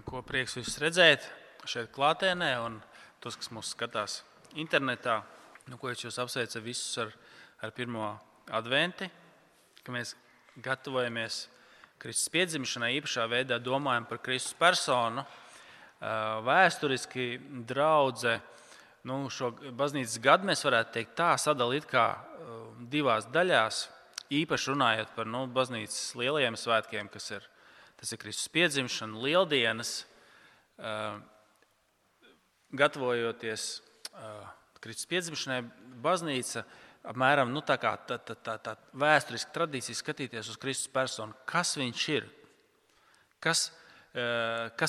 Ko prieks visus redzēt šeit klātienē un tos, kas mūs skatās internetā. Ko es jūs apsveicu visus ar pirmo adventi, ka mēs gatavojamies Kristus piedzimšanai, īpašā veidā domājam par Kristus personu. Vēsturiski draudze, šo baznīcas gadu mēs varētu teikt tā sadalīt kā divās daļās, īpaši runājot par baznīcas lielajiem svētkiem, tas ir Kristus piedzimšana, lieldienas, gatavojoties Kristus piedzimšanai, baznīca apmēram tā vēsturiski tradīcija skatīties uz Kristus personu. Kas viņš ir? Kas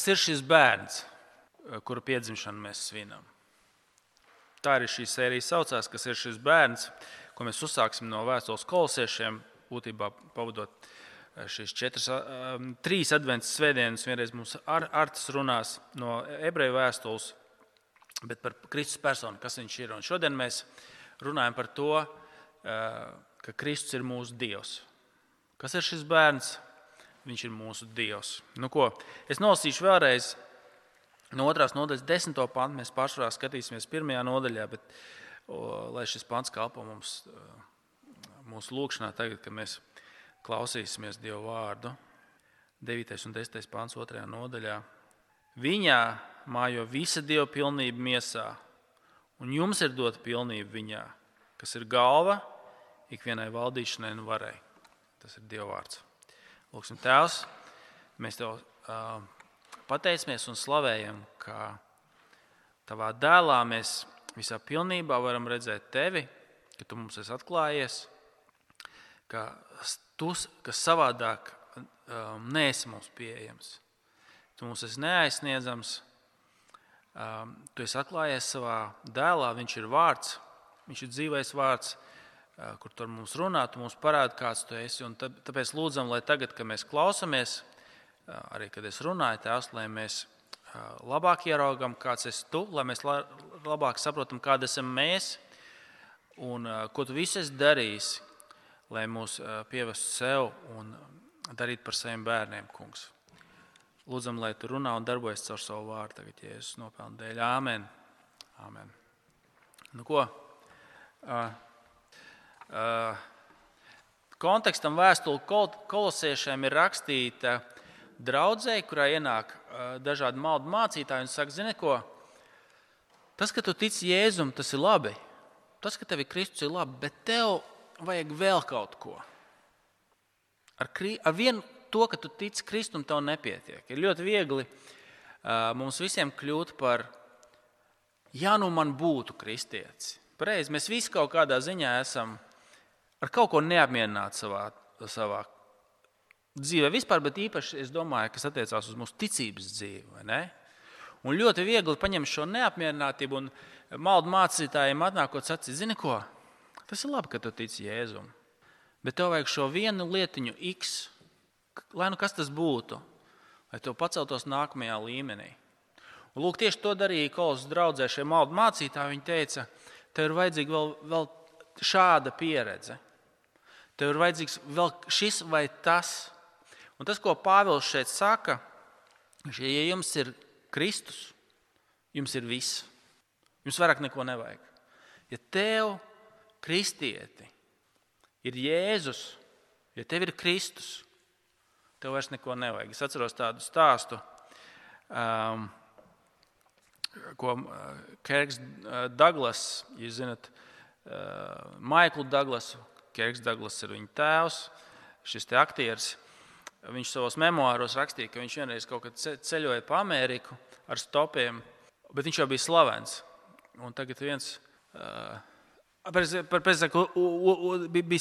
ir šis bērns, kuru piedzimšanu mēs svinam? Tā arī šī sērija saucās, kas ir šis bērns, ko mēs uzsāksim no vēstules kolosiešiem, būtībā pavadot šīs 3 adventas svētdienas. Vienreiz mums Artis runās no ebreju vēstules, bet par Kristus personu, kas viņš ir. Un šodien mēs runājam par to, ka Kristus ir mūsu Dievs. Kas ir šis bērns? Viņš ir mūsu Dievs. Es nolasīšu vēlreiz no 2. nodaļas 10. pantu. Mēs pārsvarā skatīsimies 1. nodaļā, bet lai šis pants kalpo mums mūsu lūkšanā tagad, kad mēs klausīsimies Dievu vārdu. 9. un 10. pants 2. nodaļā. Viņā mājo visa Dieva pilnība miesā, un jums ir dota pilnība viņā, kas ir galva ikvienai valdīšanai un varai. Tas ir Dieva vārds. Lūksim, Tēvs, mēs Tev pateicamies un slavējam, ka Tavā dēlā mēs visā pilnībā varam redzēt Tevi, ka Tu mums esi atklājies, ka Tu, kas savādāk neesi mums pieejams. Tu mums esi neaizsniedzams, Tu esi atklājies savā dēlā, viņš ir vārds, viņš ir dzīvais vārds, kur tu ar mums runā, tu mums parādi, kāds tu esi. Un tāpēc lūdzam, lai tagad, kad mēs klausamies, arī kad es runāju, Tēvs, lai mēs labāk ieraugam, kāds esi Tu, lai mēs labāk saprotam, kāda esam mēs un ko Tu visu esi darījis, lai mūs pievestu sev un darīt par saviem bērniem, kungs. Lūdzam, lai Tu runā un darbojas caur savu vārdu tagad, Jēzus nopelnu dēļ. Āmen. Āmen. Kontekstam vēstule kolosiešiem ir rakstīta draudzei, kurā ienāk dažādi maldu mācītāji un saka, zini ko, tas, ka tu tici Jēzum, tas ir labi. Tas, ka tev ir Kristus, ir labi, bet tev vajag vēl kaut ko. Ar vienu to, ka tu tici Kristum, tev nepietiek. Ir ļoti viegli mums visiem kļūt par, man būtu kristietis. Pareizi, mēs visi kaut kādā ziņā esam ar kaut ko neapmierināti savā dzīvē vispār, bet īpaši, es domāju, kas attiecās uz mūsu ticības dzīvi, vai ne? Un ļoti viegli paņemt šo neapmierinātību un maldu mācītājiem atnākot sacīt, zini ko, tas ir labi, ka tu tici Jēzum, bet tev vajag šo vienu lietiņu X, lai kas tas būtu, lai tev paceltos nākamajā līmenī. Un lūk, tieši to darīja Kolosas draudzē šie maldu mācītāji. Viņi teica, tev ir vajadzīga vēl šāda pieredze. Tev ir vajadzīgs vēl šis vai tas. Un tas, ko Pāvils šeit saka, ja jums ir Kristus, jums ir viss. Jums vairāk neko nevajag. Ja tev, kristieti, ir Jēzus, ja tev ir Kristus, tev vairs neko nevajag. Es atceros tādu stāstu, ko Kirks Douglas, jūs zināt, Maiklu Douglasu, Kirks Douglas ir viņa tēvs, šis te aktieris, viņš savos memoāros rakstīja, ka viņš vienreiz kaut kad ceļoja pa Ameriku ar stopiem, bet viņš jau bija slavens. Un tagad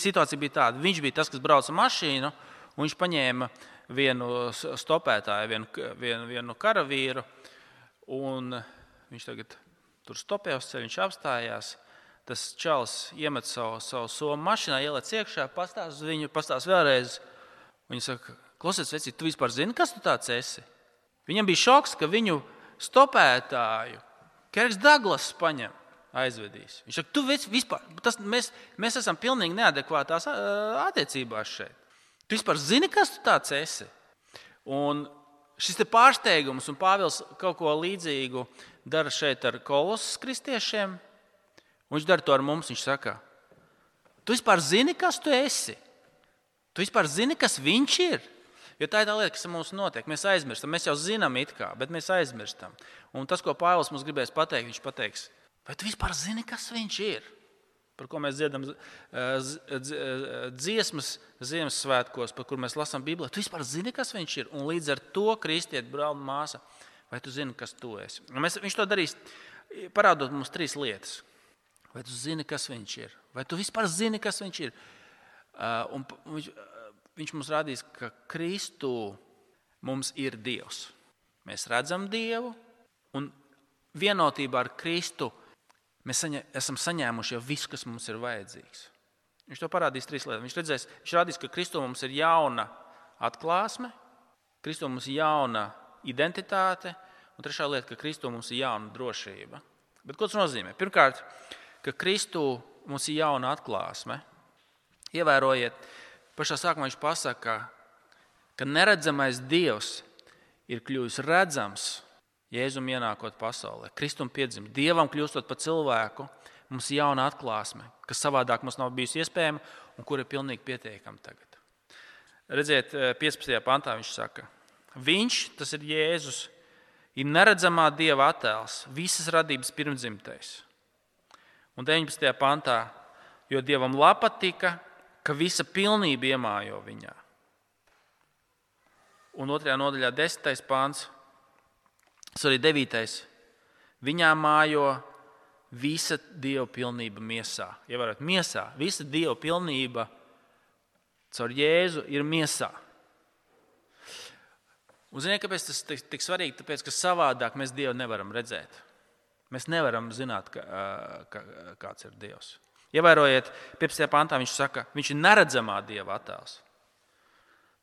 situācija bija tāda, viņš bija tas, kas brauca mašīnu, un viņš paņēma vienu stopētāju, vienu karavīru, un viņš tagad tur stopē uz ceļu, viņš apstājās, tas čalis iemet savu somu mašinā, ielec iekšā, pastāst uz viņu, pastāst vēlreiz. Viņa saka, klausies, vecīt, tu vispār zini, kas tu tāds esi? Viņam bija šoks, ka viņu stopētāju Kirks Douglas paņem, aizvedīs. Viņš saka, tu vispār, mēs esam pilnīgi neadekvātās attiecībās šeit. Tu vispār zini, kas tu tāds esi? Un šis te pārsteigums, un Pāvils kaut ko līdzīgu dara šeit ar Kolosas kristiešiem, un viņš dara to ar mums. Viņš saka, tu vispār zini, kas tu esi? Tu vispār zini, kas viņš ir? Jo tā ir tā lieta, kas mums notiek. Mēs aizmirstam. Mēs jau zinām it kā, bet mēs aizmirstam. Un tas, ko Pāvils mums gribēs pateikt, viņš pateiks, vai tu vispār zini, kas viņš ir? Par ko mēs dziedam dziesmas Ziemassvētkos, par kur mēs lasām Bībelē. Tu vispār zini, kas viņš ir? Un līdz ar to, kristiet, brāl un māsa, vai tu zini, kas tu esi? Viņš to darīs, parādot mums 3 lietas. Vai tu zini, kas viņš ir? Vai tu vispār zini, kas viņš ir? Un viņš mums rādīs, ka Kristu mums ir Dievs. Mēs redzam Dievu, un vienotībā ar Kristu mēs esam saņēmuši jau visu, kas mums ir vajadzīgs. Viņš to parādīs 3 lietas. Viņš rādīs, ka Kristu mums ir jauna atklāsme, Kristu mums ir jauna identitāte, un 3. lieta, ka Kristu mums ir jauna drošība. Bet ko tas nozīmē? Pirmkārt, ka Kristu mums ir jauna atklāsme. Ievērojiet, pašā sākumā viņš pasaka, ka neredzamais Dievs ir kļuvis redzams Jēzum ienākot pasaulē. Kristum piedzim, Dievam kļūstot par cilvēku, mums ir jauna atklāsme, kas savādāk mums nav bijusi iespējama un kur ir pilnīgi pietiekama tagad. Redziet, 15. pantā viņš saka, viņš, tas ir Jēzus, ir neredzamā Dieva attēls, visas radības pirmdzimtais. Un 19. pantā, jo Dievam patika, ka visa pilnība iemājo viņā. Un 2. nodaļā 10. pants, 9. Viņā mājo visa Dieva pilnība miesā. Ievērot, miesā. Visa Dieva pilnība caur Jēzu ir miesā. Un ziniet, kāpēc tas tik svarīgi? Tāpēc, ka savādāk mēs Dievu nevaram redzēt. Mēs nevaram zināt, kāds ir Dievs. Ievērojiet, 15. pantā viņš saka, viņš ir neredzamā Dieva attēls.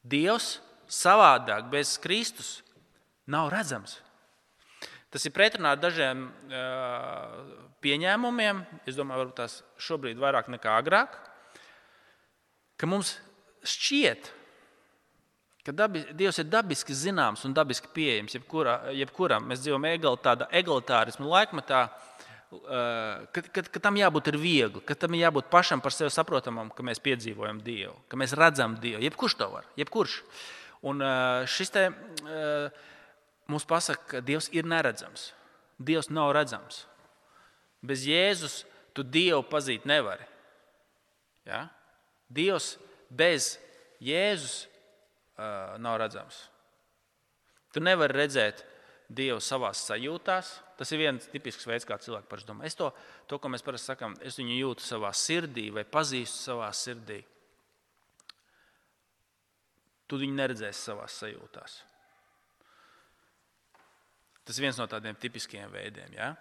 Dievs savādāk bez Kristus nav redzams. Tas ir pretrunā ar dažiem pieņēmumiem, es domāju, varbūt tās šobrīd vairāk nekā agrāk, ka mums šķiet, ka Dievs ir dabiski zināms un dabiski pieejams jebkuram. Mēs dzīvojam tādā egalitārismu laikmetā, ka tam jābūt ir viegli, ka tam jābūt pašam par sevi saprotamam, ka mēs piedzīvojam Dievu, ka mēs redzam Dievu. Jebkurš to var, jebkurš. Un šis te mums pasaka, ka Dievs ir neredzams. Dievs nav redzams. Bez Jēzus tu Dievu pazīt nevari. Ja? Dievs bez Jēzus nav redzams. Tu nevari redzēt Dievu savās sajūtās. Tas ir viens tipisks veids, kā cilvēki paši domā. Es to, ko mēs parasti sakām, es viņu jūtu savā sirdī vai pazīstu savā sirdī. Tu viņu neredzēsi savās sajūtās. Tas ir viens no tādiem tipiskiem veidiem. Ja?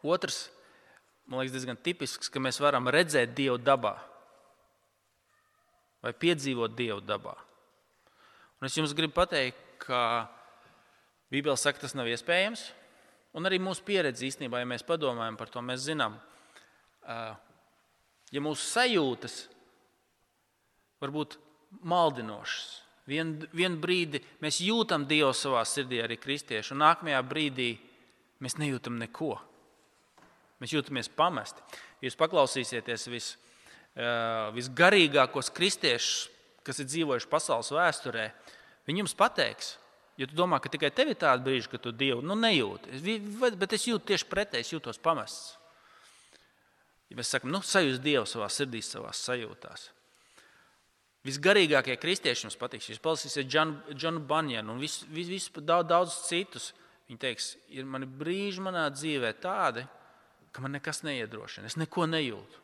Otrs, man liekas, diezgan tipisks, ka mēs varam redzēt Dievu dabā vai piedzīvot Dievu dabā. Un es jums gribu pateikt, ka Bībele saka, tas nav iespējams, un arī mūsu pieredze īstenībā, ja mēs padomājam par to, mēs zinām, ja mūsu sajūtas var būt maldinošas. Vienu brīdi mēs jūtam Dievu savā sirdī, arī kristieši, un nākamajā brīdī mēs nejūtam neko. Mēs jūtamies pamesti. Ja jūs paklausīsieties visgarīgākos kristiešus, kas ir dzīvojuši pasaules vēsturē, viņi jums pateiks, ja tu domā, ka tikai tev ir tāda brīža, ka tu Dievu nejūti, bet es jūtu tieši pretēji, es jūtos pamests. Ja mēs sakam, sajūs Dievu savā sirdī, savās sajūtās. Visgarīgākie kristieši jums patiks. Jūs palasīsiet Džonu Banjanu un daudz citus. Viņi teiks, ir mani brīži manā dzīvē tādi, ka man nekas neiedrošina. Es neko nejūtu.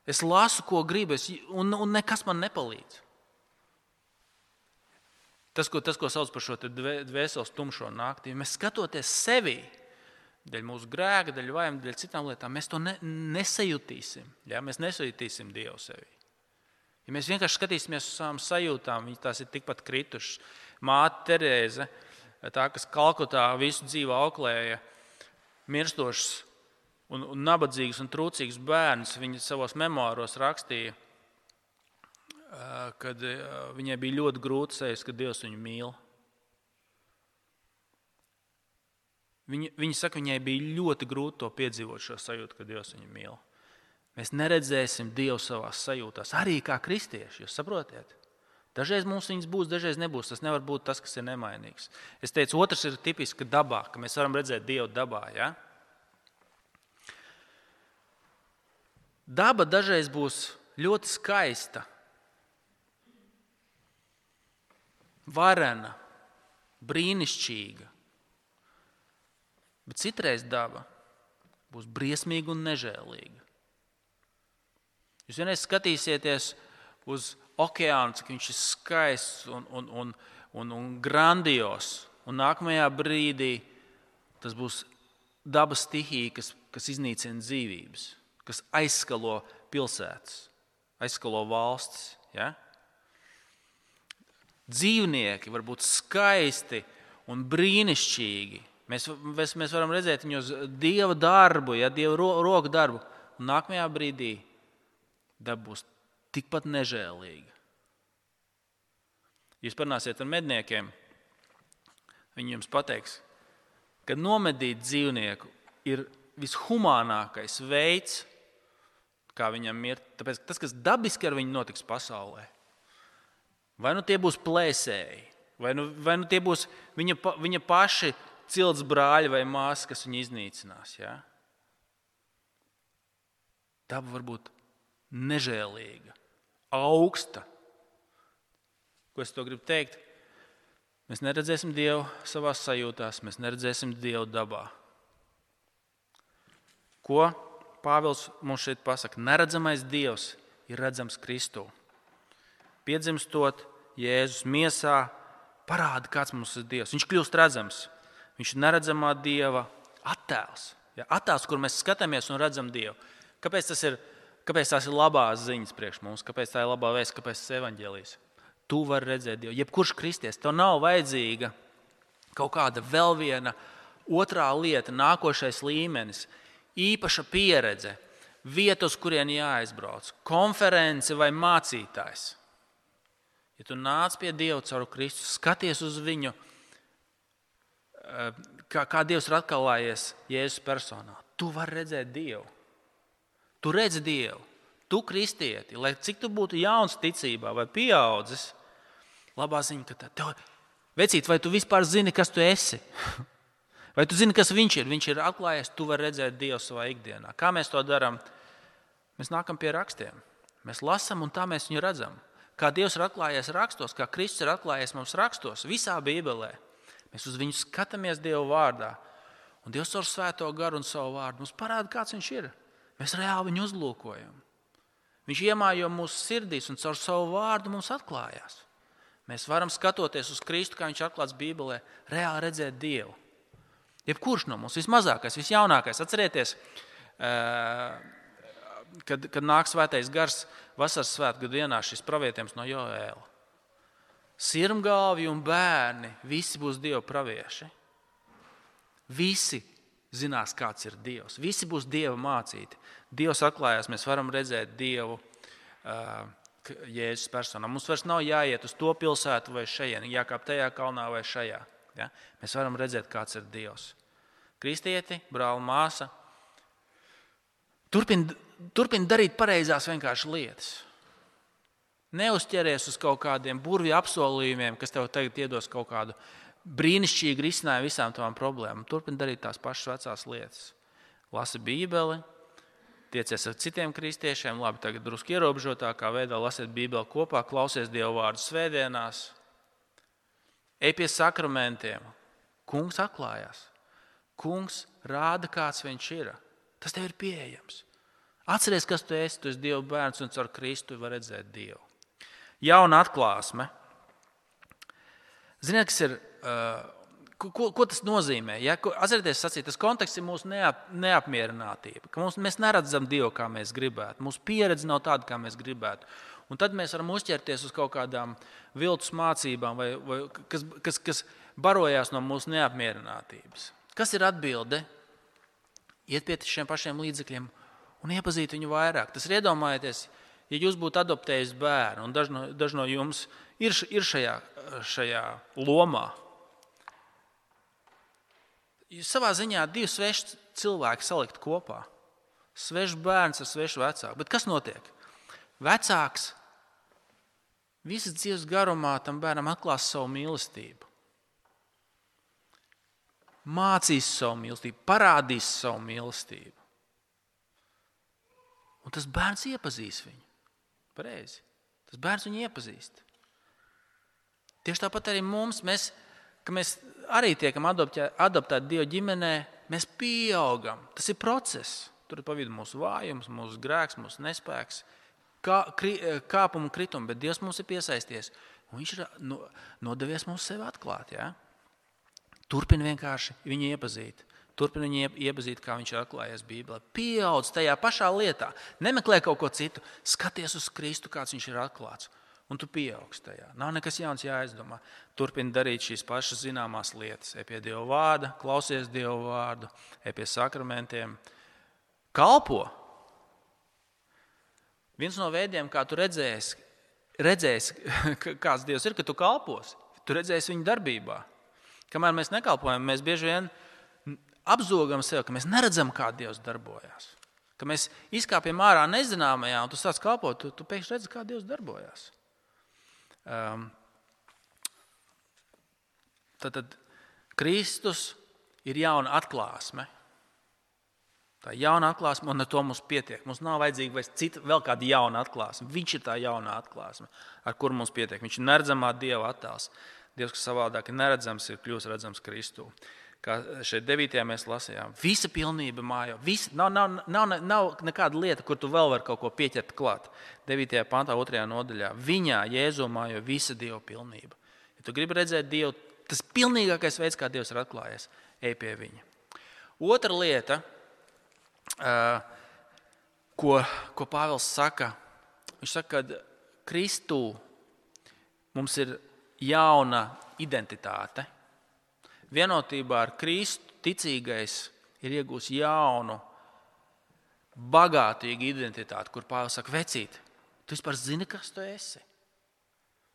Es lasu, ko gribu, un nekas man nepalīdz. Tas, ko sauc par šo dvēseles tumšo nakti, mēs skatoties sevi, dēļ mūsu grēka, dēļ vājuma, dēļ citām lietām, mēs to nesajutīsim. Ja? Mēs nesajutīsim Dievu sevi. Ja mēs vienkārši skatīsimies uz savām sajūtām, tās ir tikpat kritušas. Māte Terēze, tā, kas Kalkutā visu dzīvi auklēja, mirstošs un nabadzīgs un trūcīgs bērns, viņa savos memoāros rakstīja, kad viņai bija ļoti grūti sajust, ka Dievs viņu mīl. Viņa saka, viņai bija ļoti grūti to piedzīvot šo sajūtu, ka Dievs viņu mīl. Mēs neredzēsim Dievu savās sajūtās, arī kā kristieši, jūs saprotiet? Dažreiz mums viņas būs, dažreiz nebūs. Tas nevar būt tas, kas ir nemainīgs. Es teicu, otrs ir tipiski dabā, ka mēs varam redzēt Dievu dabā. Ja? Daba dažreiz būs ļoti skaista, varena, brīnišķīga. Bet citreiz daba būs briesmīga un nežēlīga. Jūs vienreiz skatīsieties uz okeānu, cik viņš ir skaists un grandios. Un nākamajā brīdī tas būs dabas stihija, kas iznīcina dzīvības, kas aizskalo pilsētas, aizskalo valstis. Ja? Dzīvnieki var būt skaisti un brīnišķīgi. Mēs varam redzēt viņos Dieva darbu, ja, Dieva roku darbu. Un nākamajā brīdī daba būs tikpat nežēlīga. Jūs parunāsiet ar medniekiem, viņi jums pateiks, ka nomedīt dzīvnieku ir vishumānākais veids, kā viņam mirt. Tāpēc tas, kas dabiski ar viņu notiks pasaulē, vai nu tie būs plēsēji, vai nu tie būs viņa paši cilts brāļi vai māsas, kas viņu iznīcinās. Ja? Daba var būt nežēlīga, augsta. Ko es to gribu teikt? Mēs neredzēsim Dievu savās sajūtās, mēs neredzēsim Dievu dabā. Ko Pāvils mums šeit pasaka? Neredzamais Dievs ir redzams Kristū. Piedzimstot Jēzus miesā, parāda, kāds mums ir Dievs. Viņš kļūst redzams. Viņš ir neredzamā Dieva attēls. Ja, attēls, kur mēs skatāmies un redzam Dievu. Kāpēc tās ir labās ziņas priekš mums? Kāpēc tā ir labā vēsts? Kāpēc tas ir evaņģēlijs? Tu vari redzēt Dievu. Jebkurš kristietis, tev nav vajadzīga kaut kāda vēl viena otrā lieta, nākošais līmenis, īpaša pieredze, vieta, uz kurien jāaizbrauc, konference vai mācītājs. Ja tu nāc pie Dieva caur Kristu, skaties uz viņu, kā Dievs ir atklājies Jēzus personā, tu vari redzēt Dievu. Tu redzi Dievu, tu kristieti, lai cik tu būtu jauns ticībā vai pieaudzis, labā ziņa, ka tev, vecīt, vai tu vispār zini, kas tu esi? Vai tu zini, kas viņš ir? Viņš ir atklājies, tu vari redzēt Dievu savā ikdienā. Kā mēs to darām? Mēs nākam pie rakstiem. Mēs lasam un tā mēs viņu redzam. Kā Dievs ir atklājies rakstos, kā Kristus ir atklājies mums rakstos, visā Bībelē. Mēs uz viņu skatāmies Dieva vārdā. Un Dievs ar svēto garu un savu vārdu mums parāda, kāds viņš ir. Mēs reāli viņu uzlūkojam. Viņš iemājo mūsu sirdīs un caur savu vārdu mums atklājās. Mēs varam skatoties uz Kristu, kā viņš atklāts Bībelē, reāli redzēt Dievu. Jebkurš no mums, vismazākais, visjaunākais. Atcerieties, kad nāk svētais gars vasaras svētku dienā šis pravietījums no Joēla. Sirmgalvi un bērni, visi būs Dieva pravieši. Visi zinās, kāds ir Dievs. Visi būs Dieva mācīti. Dievs atklājās, mēs varam redzēt Dievu Jēzus personā. Mums vairs nav jāiet uz to pilsētu vai šajien, jākāp tajā kalnā vai šajā. Ja? Mēs varam redzēt, kāds ir Dievs. Kristieti, brāli, māsa, turpin darīt pareizās vienkārši lietas. Neuzķeries uz kaut kādiem burvju apsolījumiem, kas tev tagad iedos kaut kādu brīnišķīgu risinājumu visām tavām problēmām. Turpin darīt tās pašas vecās lietas. Lasi Bībeli, tiecies ar citiem kristiešiem, labi, tagad drusku ierobežotākā veidā lasiet Bībeli kopā, klausies Dieva vārdu svētdienās, ej pie sakramentiem. Kungs atklājās. Kungs rāda, kāds viņš ir. Tas tev ir pieejams. Atceries, kas tu esi. Tu esi Dieva bērns un caur Kristu var redzēt Dievu. Jauna atklāsme. Ziniet, kas ir, ko tas nozīmē? Ja? Atcerieties, sacīt, tas konteksts ir mūsu neapmierinātība. Ka mēs neredzam Dievu, kā mēs gribētu. Mūsu pieredze nav tāda, kā mēs gribētu. Un tad mēs varam uzķerties uz kaut kādām viltus mācībām, vai kas barojās no mūsu neapmierinātības. Kas ir atbilde? Iet pie šiem pašiem līdzekļiem un iepazīt viņu vairāk. Tas ir iedomājieties, ja jūs būtu adoptējis bērnu, un daži no jums ir šajā lomā, jūs savā ziņā divi sveši cilvēki salikt kopā. Svešs bērns ar svešu vecāku. Bet kas notiek? Vecāks visas dzīves garumā tam bērnam atklās savu mīlestību. Mācīs savu mīlestību, parādīs savu mīlestību. Un tas bērns iepazīs viņu. Pareizi. Tas bērns viņu iepazīst. Tieši tāpat arī mums, ka mēs arī tiekam adoptēti Dieva ģimenē, mēs pieaugam. Tas ir process. Tur ir pa vidu mūsu vājums, mūsu grēks, mūsu nespēks, kāpumi un kritumi, bet Dievs mums ir piesaisties. Un viņš ir nodevies mums sevi atklāt. Ja? Turpin vienkārši viņu iepazīt. Turpin viņu iepazīt, kā viņš ir atklājies Bībelē. Pieaudz tajā pašā lietā. Nemeklē kaut ko citu. Skaties uz Kristu, kāds viņš ir atklāts. Un tu pieaugst tajā. Nav nekas jauns jāizdomā. Turpin darīt šīs pašas zināmās lietas. Ej pie Dieva vārda, klausies Dieva vārdu, ej pie sakramentiem. Kalpo. Viens no veidiem, kā tu redzēsi, kāds Dievs ir, ka tu kalposi. Tu redzēsi viņu darbībā. Kamēr mēs nekalpojam, mēs bieži vien apzogam sev, ka mēs neredzam, kā Dievs darbojās. Ka mēs izkāpjam ārā nezināmajā, un tu sāc kalpot, tu pēkšņi redzi, kā Dievs darbojās. Tad Kristus ir jauna atklāsme. Tā jauna atklāsme, un ar to mums pietiek. Mums nav vajadzīga vēl kāda jauna atklāsme. Viņš ir tā jauna atklāsme, ar kuru mums pietiek. Viņš ir neredzamā Dieva attēls. Dievs, kas savādāk ir neredzams, ir kļūst redzams Kristū. Kā šeit 9. mēs lasījām. Visa pilnība mājo. Nav nekāda lieta, kur tu vēl vari kaut ko pieķert klāt. 9. pantā, 2. nodaļā. Viņā, Jēzu, mājo visa Dieva pilnība. Ja tu gribi redzēt Dievu, tas pilnīgākais veids, kā Dievs ir atklājies, ej pie viņa. Otra lieta, ko Pāvils saka, viņš saka, ka Kristū mums ir jauna identitāte. Vienotībā ar Kristu ticīgais ir iegūs jaunu, bagātīgu identitāti, kur Pāvils saka, vecīt, tu vispār zini, kas tu esi?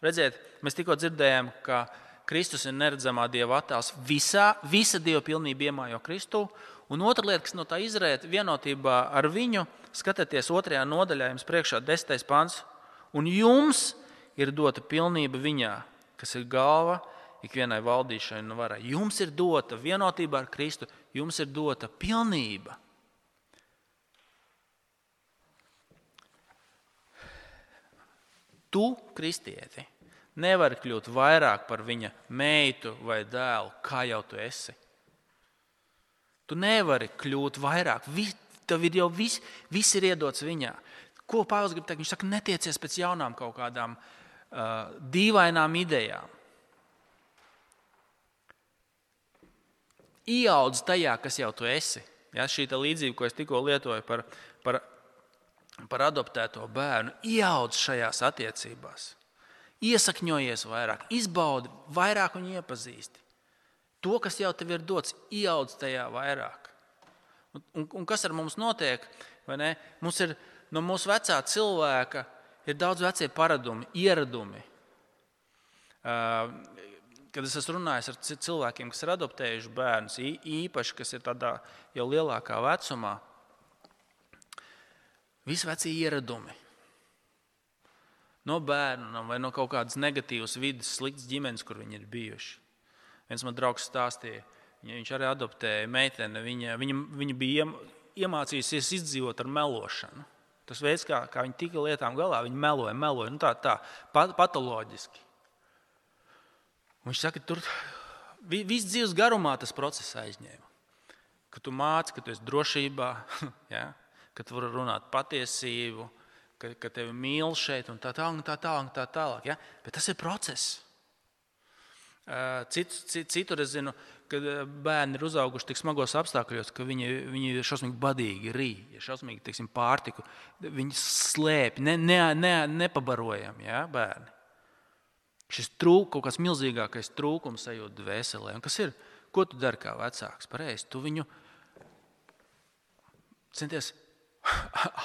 Redziet, mēs tikko dzirdējām, ka Kristus ir neredzamā Dieva attēls. Visa Dieva pilnība iemājo Kristū. Un otra lieta, kas no tā izriet, vienotībā ar viņu, skatieties 2. nodaļā, jums priekšā 10. pants, un jums ir dota pilnība viņā, kas ir galva ikvienai valdīšanai un varai. Jums ir dota vienotībā ar Kristu, jums ir dota pilnība. Tu, kristieti, nevari kļūt vairāk par viņa meitu vai dēlu, kā jau tu esi. Tu nevari kļūt vairāk. Tev ir jau viss ir iedots viņā. Ko Pāvils grib teikt? Viņš saka, netiecies pēc jaunām kaut kādām dīvainām idejām. Ieaudz tajā, kas jau tu esi. Ja, šī līdzība, ko es tikko lietoju par adoptēto bērnu, ieaudz šajās attiecībās. Iesakņojies vairāk, izbaudi vairāk un iepazīsti. To, kas jau tev ir dots, ieaudz tajā vairāk. Un kas ar mums notiek? Vai ne? Mums ir no mūsu vecā cilvēka ir daudz vecie paradumi, ieradumi. Kad es esmu runājis ar cilvēkiem, kas ir adoptējuši bērnus, īpaši, kas ir tādā jau lielākā vecumā, visi vecie ieradumi. No bērnam vai no kaut kādas negatīvas vidas, sliktas ģimenes, kur viņi ir bijuši. Viens man draugs stāstīja, viņš arī adoptēja meiteni, viņa bija iemācījusies izdzīvot ar melošanu. Tas veids, kā viņa tika lietām galā, viņa meloja, tā patoloģiski. Viņš saka, tur viss dzīves garumā tas process aizņēma. Ka tu māci, ka tu esi drošībā, ja? Ka tu vari runāt patiesību, ka tevi mīl šeit un tā tālāk. Ja? Bet tas ir process. Citur es zinu, ka bērni ir uzauguši tik smagos apstākļos, ka viņi ir šausmīgi badīgi rī, šausmīgi, teiksim, pārtiku. Viņi slēp, nepabarojami, ja, bērni. Šis kaut kāds milzīgākais trūkums sajūt dvēselē. Un kas ir? Ko tu dari kā vecāks? Pareizi, tu viņu centies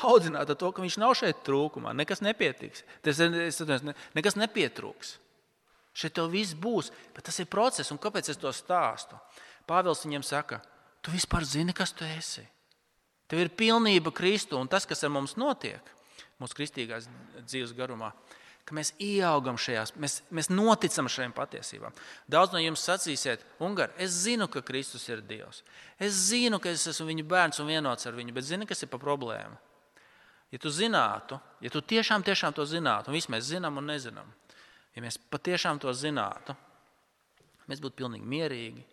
audzināt ar to, ka viņš nav šeit trūkumā, nekas nepietiks. Nekas nepietrūks. Šeit tev viss būs, bet tas ir process. Un kāpēc es to stāstu? Pāvils viņiem saka, tu vispār zini, kas tu esi. Tev ir pilnība Kristu, un tas, kas ar mums notiek, mūsu kristīgās dzīves garumā, ka mēs ieaugam šajās, mēs noticam šajām patiesībām. Daudz no jums sacīsiet, Ungar, es zinu, ka Kristus ir Dievs. Es zinu, ka es esmu viņa bērns un vienots ar viņu, bet zini, kas ir pa problēmu? Ja tu zinātu, ja tu tiešām to zinātu, un visi mēs zinām un nezinām, ja mēs patiešām to zinātu, mēs būtu pilnīgi mierīgi,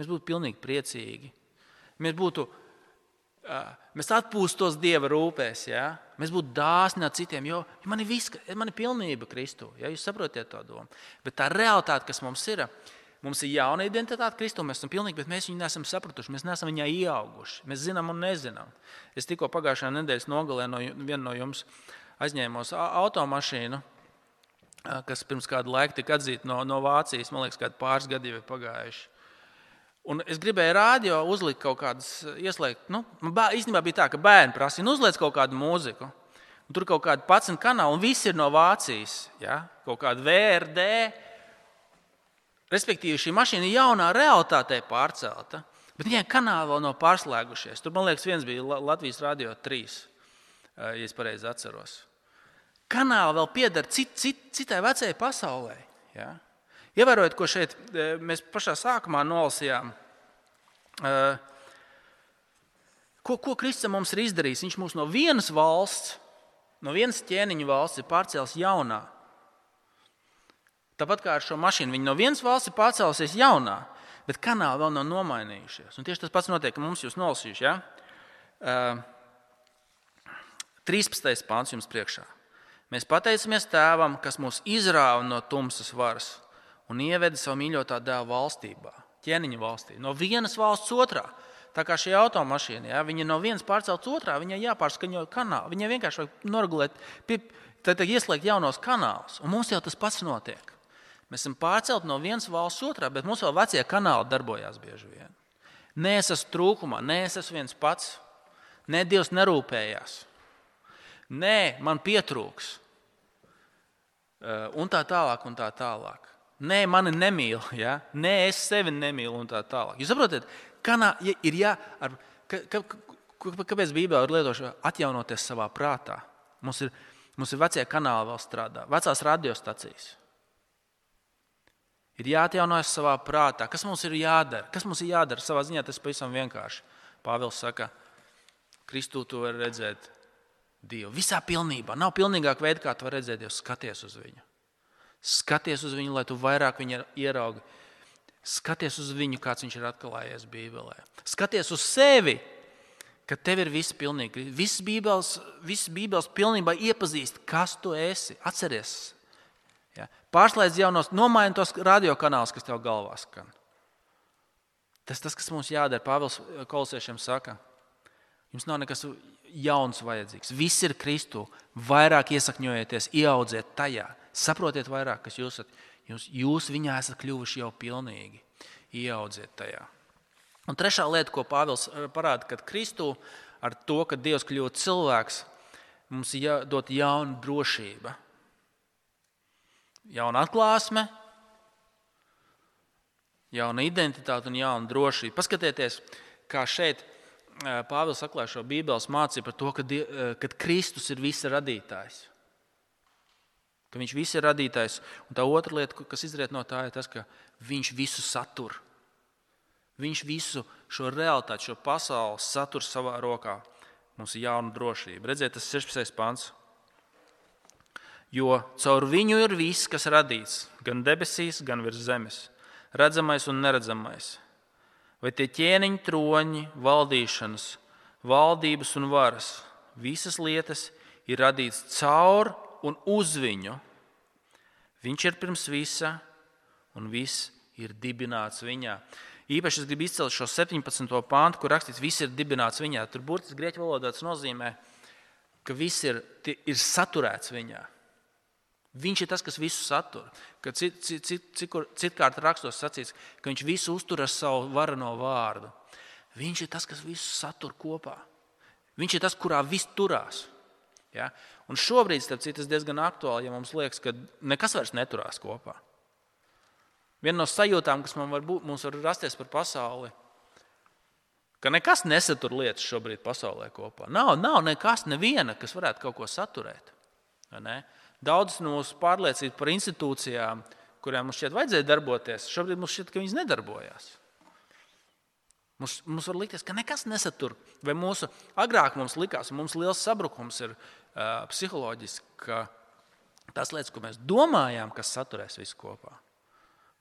mēs būtu pilnīgi priecīgi, mēs atpūstos Dieva rūpēs, ja? Mēs būtu dāsni ar citiem, jo man ir pilnība Kristū, ja? Jūs saprotiet to domu. Bet tā realitāte, kas mums ir jauna identitāte Kristū, mēs esam pilnīgi, bet mēs viņu neesam sapratuši, mēs neesam viņā ieauguši, mēs zinām un nezinām. Es tikko pagājušajā nedēļas nogalē vienu no jums aizņēmos automašīnu, kas pirms kādu laiku tika atzīta no Vācijas, man liekas, kādi pāris gadi jau ir pagājuši. Un es gribēju rādio uzlikt kaut kādas, ieslēgt, īstenībā bija tā, ka bērni prasīja, uzliec kaut kādu mūziku. Un tur kaut kādi 11 kanāli, un visi ir no Vācijas, ja? Kaut kāda VRD. Respektīvi, šī mašīna ir jaunā realitātē pārcelta, bet viņai kanāli vēl nav pārslēgušies. Tur, man liekas, viens bija Latvijas Radio 3, ja es pareizi atceros. Kanāli vēl pieder citai vecajai pasaulē, ja? Ievērojot, ko šeit mēs pašā sākumā nolasījām, ko Kristus mums ir izdarījis. Viņš mūs no vienas valsts, no vienas ķēniņa valsts ir pārcēlis jaunā. Tāpat kā ar šo mašīnu, viņi no vienas valsts ir pārcēlusies jaunā, bet kanāli vēl nav nomainījušies. Un tieši tas pats notiek, ka mums jūs nolasījuši. Ja? 13. pāns jums priekšā. Mēs pateicamies Tēvam, kas mūs izrāva no tumsas varas un ieveda savu mīļotā dēla valstībā, ķēniņa valstī, no vienas valsts otrā. Tā kā šī automašīna, ja, viņa no vienas pārcelts otrā, viņai jāpārskaņo kanāli, viņai vienkārši vajag noregulēt, tad ieslēgt jaunos kanālus, un mums jau tas pats notiek. Mēs esam pārcelti no vienas valsts otrā, bet mums vēl vecie kanāli darbojās bieži vien. Nē, es esmu trūkumā, nē, es esmu viens pats, nē, Dievs nerūpējās, nē, man pietrūks, un tā tālāk, un tā tālāk. Nē, mani nemīl, ja? Nē, es sevi nemīlu un tā tālāk. Jūs saprotat, kāpēc Bībelē ir lietošana atjaunoties savā prātā? Mums ir vecie kanāli vēl strādā, vecās radiostacijas. Ir jāatjaunojas savā prātā. Kas mums ir jādara? Kas mums ir jādara? Savā ziņā tas pavisam vienkārši. Pāvils saka, Kristū tu vari redzēt Dievu. Visā pilnībā. Nav pilnīgāk veida, kā tu vari redzēt Dievu. Skaties uz viņu. Skaties uz viņu, lai tu vairāk viņu ieraugi. Skaties uz viņu, kāds viņš ir atklājies Bībelē. Skaties uz sevi, ka tev ir viss pilnīgi. Viss Bībeles pilnībā iepazīst, kas tu esi. Atceries. Ja? Pārslēdz jaunos, nomaini tos radiokanālus, kas tev galvā skan. Tas, kas mums jādara. Pāvils Kolosiešiem saka, jums nav nekas jauns vajadzīgs. Viss ir Kristu. Vairāk iesakņojieties, ieaudziet tajā. Saprotiet vairāk, kas jūs esat. Jūs viņā esat kļuvuši jau pilnīgi. Ieaudziet tajā. Un trešā lieta, ko Pāvils parāda, kad Kristu ar to, ka Dievs kļūst cilvēks, mums ir jādod jauna drošība. Jauna atklāsme, jauna identitāte un jauna drošība. Paskatieties, kā šeit Pāvils atklāja šo Bībeles mācību par to, ka Kristus ir visa radītājs. Ka viņš viss ir radītājs. Un tā otra lieta, kas izriet no tā, ir tas, ka viņš visu satur. Viņš visu šo realitāti, šo pasauli satur savā rokā. Mums ir jauna drošība. Redziet, tas 16. pants. Jo caur viņu ir viss, kas radīts, gan debesīs, gan virs zemes, redzamais un neredzamais. Vai tie ķēniņi, troņi, valdīšanas, valdības un varas, visas lietas ir radīts caur un uz viņu. Viņš ir pirms visa, un viss ir dibināts viņā. Īpaši es gribu izcelt šo 17. pāntu, kur rakstīts, viss ir dibināts viņā. Tur burtiski grieķu valodā tas nozīmē, ka viss ir saturēts viņā. Viņš ir tas, kas visu satur. Kad citkārt rakstos sacīts, ka viņš visu uztur ar savu vareno vārdu. Viņš ir tas, kas visu satur kopā. Viņš ir tas, kurā viss turās. Ja? Un šobrīd, starp citu, tas diezgan aktuāli, ja mums liekas, ka nekas vairs neturās kopā. Viena no sajūtām, kas mums var rasties par pasauli, ka nekas nesatur lietas šobrīd pasaulē kopā. Nav nekas, neviena, kas varētu kaut ko saturēt. Ne? Daudz no mūsu pārliecības par institūcijām, kurām mums šķiet vajadzēja darboties, šobrīd mums šķiet, ka viņas nedarbojās. Mums var likties, ka nekas nesatur. Vai agrāk mums likās, un mums liels sabrukums ir psiholoģiski, ka tās lietas, ko mēs domājām, kas saturēs visu kopā.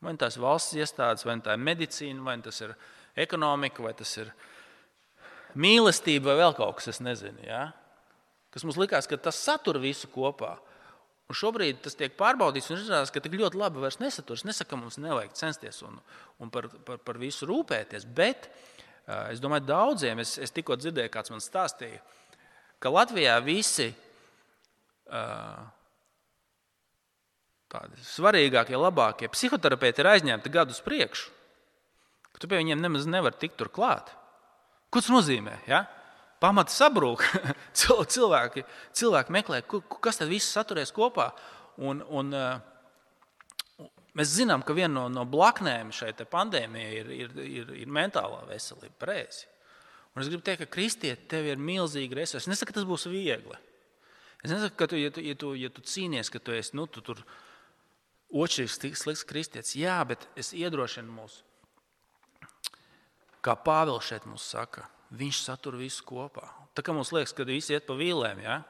Vai tas ir valsts iestādes, vai tā ir medicīna, vai tas ir ekonomika, vai tas ir mīlestība, vai vēl kaut kas, es nezinu. Ja? Kas mums likās, ka tas satur visu kopā. Un šobrīd tas tiek pārbaudīts un izrādās, ka tik ļoti labi vairs nesatur. Es nesaku, ka mums nevajag censties un par visu rūpēties, bet es domāju, daudziem, es tikko dzirdēju, kāds man stāstīja, ka Latvijā visi tādi svarīgākie, labākie psihoterapeiti ir aizņemti gadus priekšu, ka tu pie viņiem nemaz nevar tikt tur klāt. Ko tas nozīmē? Ja? Pamati sabrūk, cilvēki meklē, kas tad viss saturēs kopā. Un mēs zinām, ka viena no blaknēm šai pandēmijai ir mentālā veselība, pareizi. Un es gribu teikt, ka kristieti tev ir milzīgi resursi. Es nesaku, ka tas būs viegli. Es nesaku, ka ja tu cīnies, ka tu esi tu tur otršķirīgs, slikts kristietis. Jā, bet es iedrošinu mūs, kā Pāvils šeit mums saka, viņš satur visu kopā. Tā kā mums liekas, ka visi iet pa vīlēm, ja?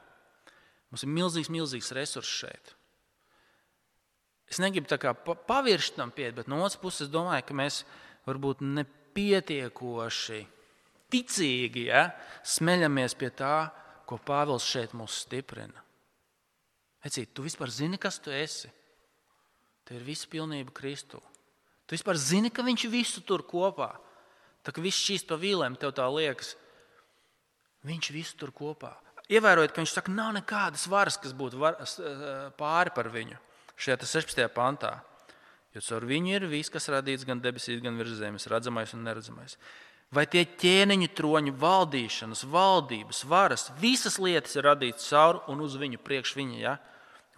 Mums ir milzīgs resurss šeit. Es negribu tā kā paviršt tam piet, bet no otras puses es domāju, ka mēs varbūt nepietiekoši ticīgi smeļamies pie tā, ko Pāvils šeit mūs stiprina. Ecīt, tu vispār zini, kas tu esi? Tev ir visa pilnība Kristū. Tu vispār zini, ka viņš visu tur kopā. Tā kā viss šķīst pa vīlēm, tev tā liekas, viņš visu tur kopā. Ievērojot, ka viņš saka, nav nekādas varas, kas būtu pāri par viņu. Šajā 16. pantā. Jo caur viņu ir viss, kas radīts gan debesīs, gan virs zemes, redzamais un neredzamais. Vai tie ķēniņu troņu valdīšanas, valdības, varas, visas lietas ir radītas caur un uz viņu priekš viņa, ja?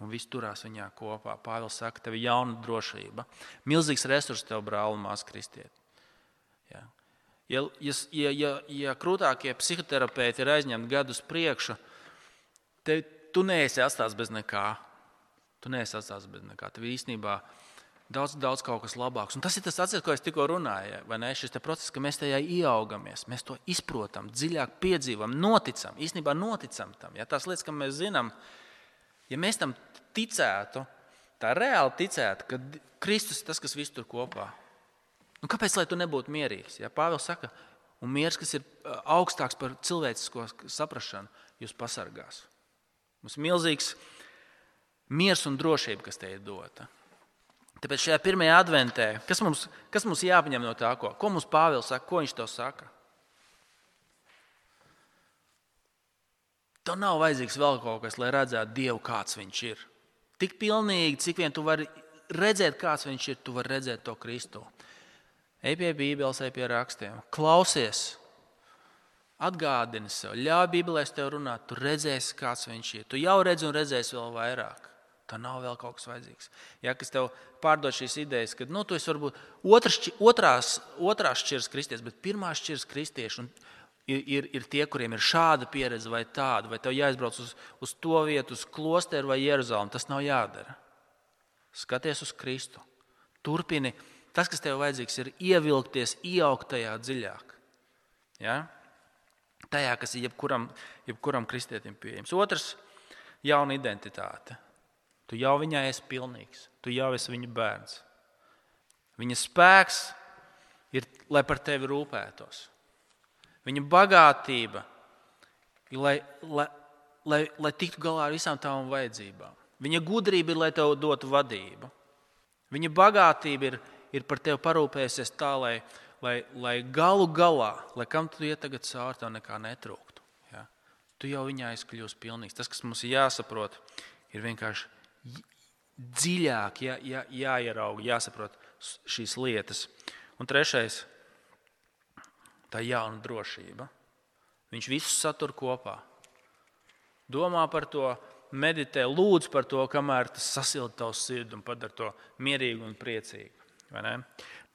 Un viss turās viņā kopā. Pāvils saka, tev ir jauna drošība. Milzīgs resurs tev, brāli un māsa kristieti. Ja? Ja krūtākie psihoterapeiti ir aizņemti gadus priekšu, tu neesi atstāts bez nekā. Tev īstenībā daudz kaut kas labāks. Un tas ir tas atceries, ko es tikko runāju. Vai ne? Šis process, ka mēs tajā ieaugamies, mēs to izprotam, dziļāk piedzīvam, noticam. Īstenībā noticam tam. Ja? Tās lietas, kam mēs zinām, ja mēs tam ticētu, tā reāli ticētu, ka Kristus ir tas, kas visu tur kopā. Nu, kāpēc, lai tu nebūtu mierīgs? Ja? Pāvils saka, un miers, kas ir augstāks par cilvēcisko saprašanu, jūs pasargās. Mums ir milzīgs miers un drošība, kas te ir dota. Tāpēc šajā pirmajā adventē, kas mums jāpaņem no tā, ko mums Pāvils saka, ko viņš to saka? Tev nav vajadzīgs vēl kaut kas, lai redzētu Dievu, kāds viņš ir. Tik pilnīgi, cik vien tu vari redzēt, kāds viņš ir, tu vari redzēt to Kristu. Ej pie Bībeles, ej pie rakstiem, klausies, atgādini sev, ļauj Bībelēs tev runāt, tu redzēsi, kāds viņš ir. Tu jau redzi un redzēsi vēl vairāk. Tā nav vēl kaut kas vajadzīgs. Ja, kas tev pārdod šīs idejas, ka tu esi varbūt otrās šķiras kristietis, bet pirmā šķiras kristieši ir tie, kuriem ir šāda pieredze vai tāda, vai tev jāizbrauc uz to vietu, uz klosteru vai Jeruzalem. Tas nav jādara. Skaties uz Kristu. Turpini. Tas, kas tev vajadzīgs, ir ievilkties, ieaugt tajā dziļāk. Ja? Tajā, kas ir jebkuram kristietim pieejams. Otrs, jauna identitāte. Tu jau viņā esi pilnīgs. Tu jau esi viņa bērns. Viņa spēks ir, lai par tevi rūpētos. Viņa bagātība ir, lai tiktu galā ar visām tavām vajadzībām. Viņa gudrība ir, lai tev dotu vadību. Viņa bagātība ir par tevi parūpējusies tā, lai galu galā, lai kam tu iet tagad cauri, tev nekā netrūktu. Ja? Tu jau viņā esi kļūst pilnīgs. Tas, kas mums ir jāsaprot, ir vienkārši dziļāk jāierauga, jāsaprot šīs lietas. Un trešais, tā jauna drošība. Viņš visu satur kopā. Domā par to, meditē, lūdz par to, kamēr tas sasilda tavu sirdi un padara to mierīgu un priecīgu.